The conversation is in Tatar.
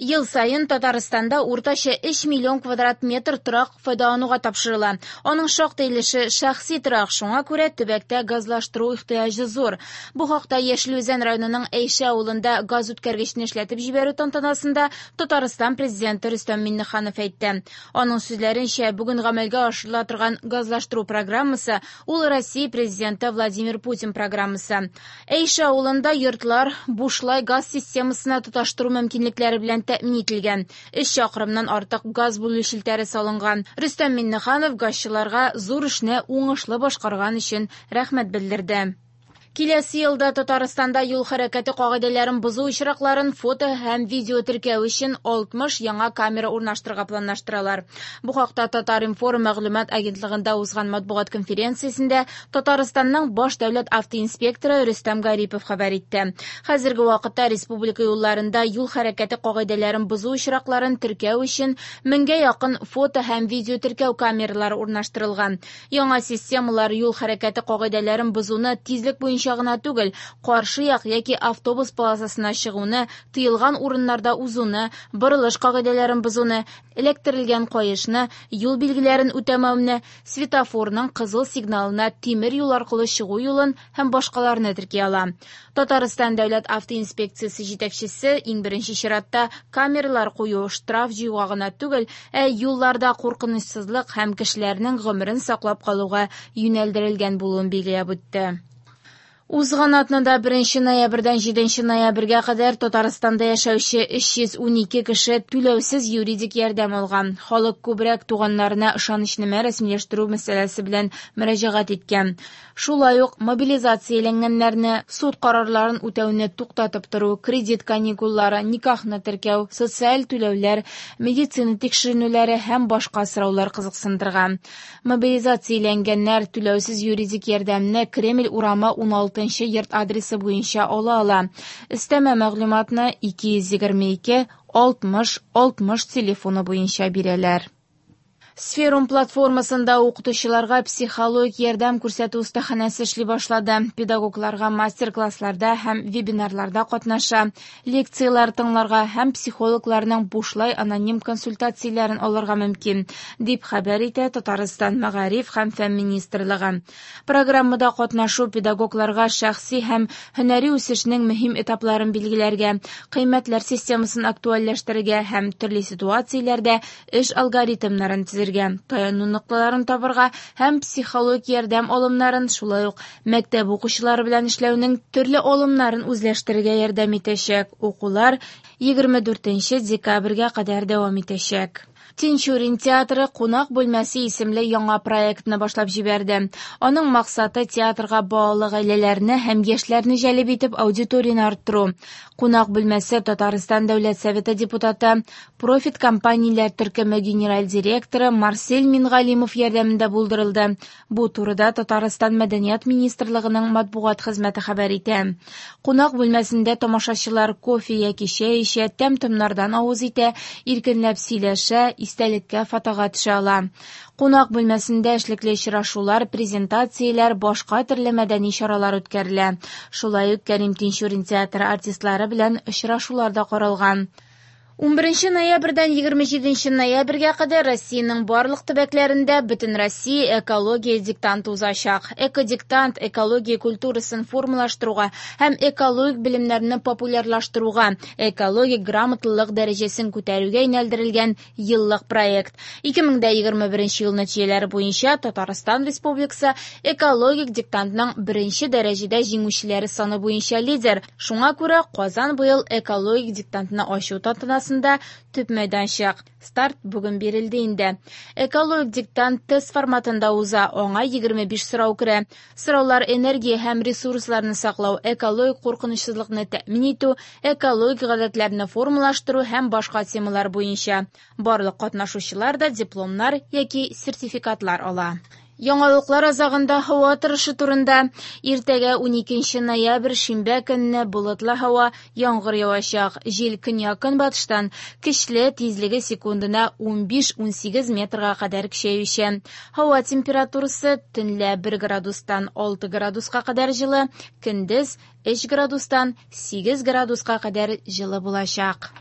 Ел саен Татарстанда уртача 3 миллион квадрат метр торак файдалануга тапшырыла. Аның шактый өлеше шәхси торак, шуңа күрә төбәктә газлаштыру ихтыяҗы зур. Бу хакта Яшел Үзән районының Әйшә авылында газ үткәргечне эшләтеп җибәрү тантанасында Татарстан Президенты Рөстәм Миңнеханов әйтте. Аның сүзләренчә, бүген гамәлгә ашырыла торган газлаштыру программасы ул Россия Президенты Владимир Путин программасы. Әйшә авылында йортлар бушлай газ системасына тоташтыру мөмкинлекләре белән тәэмин ителгән. 3 чакрымнан артык газ бүлү челтәре салынган. Рөстәм Миңнеханов газчыларга зур эшне уңышлы башкарган өчен рәхмәт белдерде. Киләсе елда Татарстанда юл хәрәкәте кагыйдәләрен бозу очракларын фото һәм видео теркәү өчен 60 яңа камера урнаштырырга планлаштыралар. Бу хакта Татар-информ мәгълүмат агентлыгында узган матбугат конференциясендә Татарстанның баш дәүләт автоинспекторы Рөстәм Гарипов хәбәр итте. Хәзерге вакытта республика юлларында юл хәрәкәте кагыйдәләрен бозу очракларын теркәү өчен меңгә якын фото һәм видео теркәү камералары урнаштырылган. Яңа системалар юл хәрәкәте кагыйдәләрен бозуны тизлек буенча гына түгел, каршы як яки автобус полосасына чыгуны, тыелган урыннарда узуны, борылыш кагыйдәләрен бозуны, эләктерелгән каешны, юл билгеләрен үтәмәүне, светофорның кызыл сигналына тимер юл аркылы чыгу юлын һәм башкаларны терки ала. Татарстан дәүләт автоинспекциясе җитәкчесе иң беренче чиратта камералар кую штраф җыюга гына түгел, ә юлларда куркынычсызлык һәм кешеләрнең гомерен саклап калуга юнәлдерелгән булуын билгеләп үтте. Узган атнада 1 ноябрьдән 7 ноябрьгә кадәр Татарстанда яшәүче 312 кеше түләүсез юридик ярдәм алган. Халык күбрәк туганнарына ышанычнамә рәсмиләштерү мәсьәләсе белән мөрәҗәгать иткән. Шулай ук мобилизацияләнгәннәрне, суд карарларын үтәүне туктатып тору, кредит каникуллары, никахны теркәү, социаль түләүләр, медицина тикшеренүләре һәм башка сораулар кызыксындырган. Мобилизацияләнгәннәр түләүсез юридик ярдәмне Кремль урамы 16 йорт адресы буенча ала ала. Өстәмә мәгълүматны 222 60 60 телефоны буенча бирәләр. Сферум платформасында укытучыларга психологик ярдәм күрсәтү остаханәсе эшли башлады. Педагогларга мастер-классларда һәм вебинарларда катнаша, лекцияләр тыңларга һәм психологларның бушлай аноним консультацияләрен алырга мөмкин, дип хәбәр итә Татарстан Мәгариф һәм фән министрлыгы. Программада катнашу педагогларга шәхси һәм һөнәри үсешнең мөһим этапларын билгеләргә, кыйммәтләр системасын актуальләштерергә һәм төрле ситуацияләрдә эш алгоритмнарын төзергә, таяну нокталарын табырга һәм психологик ярдәм алымнарын, шулай ук мәктәп укучылары белән эшләүнең төрле алымнарын үзләштерергә ярдәм итәчәк. Укулар 24 декабрьгә кадәр дәвам итәчәк. Тинчурин театры «Кунак бүлмәсе» исемле яңа проектны башлап җибәрде. Аның максаты театрга балалы гаиләләрне һәм яшьләрне җәлеп итеп аудиторияне арттыру. «Кунак бүлмәсе» Татарстан Дәүләт Советы депутаты, Профит компанияләр төркеме генераль директоры Марсель Мингалимов ярдәмендә булдырылды. Бу турыда Татарстан Мәдәният министрлыгының матбугат хезмәте хәбәр итә. Кунак бүлмәсендә тамашачылар кофе яки чәй эчә, тәм-томнардан авыз итә, иркенләп сөйләшә, истәлеккә фотога төшә ала. Кунак бүлмәсендә эшлекле очрашулар, презентацияләр, башка төрле мәдәни чаралар үткәрелә. Шулай ук Кәрим Тинчурин театры артистлары белән очрашулар да каралган. 11 ноябрьдән 27 ноябрьгә кадәр Россиянең барлык төбәкләрендә Бөтенроссия экология диктанты узачак. Экодиктант экология культурасын формалаштыруга һәм экологик белемнәрне популярлаштыруга, экологик грамотлылык дәрәҗәсен күтәрүгә юнәлдерелгән еллык проект. 2021 ел нәтиҗәләре буенча Татарстан Республикасы экологик диктантның беренче дәрәҗәдә җиңүчеләре саны буенча лидер. Шуңа күрә Казан быел экологик диктантны ачу тантанасында төп мәйданчык. Старт бүген бирелде инде. Экологик диктант тест форматында уза, аңа 25 сорау керә. Сораулар энергия һәм ресурсларны саклау, экологик куркынычсызлыкны тәэмин итү, экологик гадәтләрне формалаштыру һәм башка темалар буенча. Барлык катнашучылар да дипломнар яки сертификатлар ала. Яңалыклар азагында һава торышы турында. Иртәгә 12 ноябрь шимбә көнне болытлы һава, яңгыр явачак. Җил көньяк-көнбатыштан көчле, тизлеге секундына 15-18 метрга кадәр көчәюче. Һава температурасы төнлә 1 градустан 6 градуска кадәр җылы, көндез 3 градустан 8 градуска кадәр җылы булачак.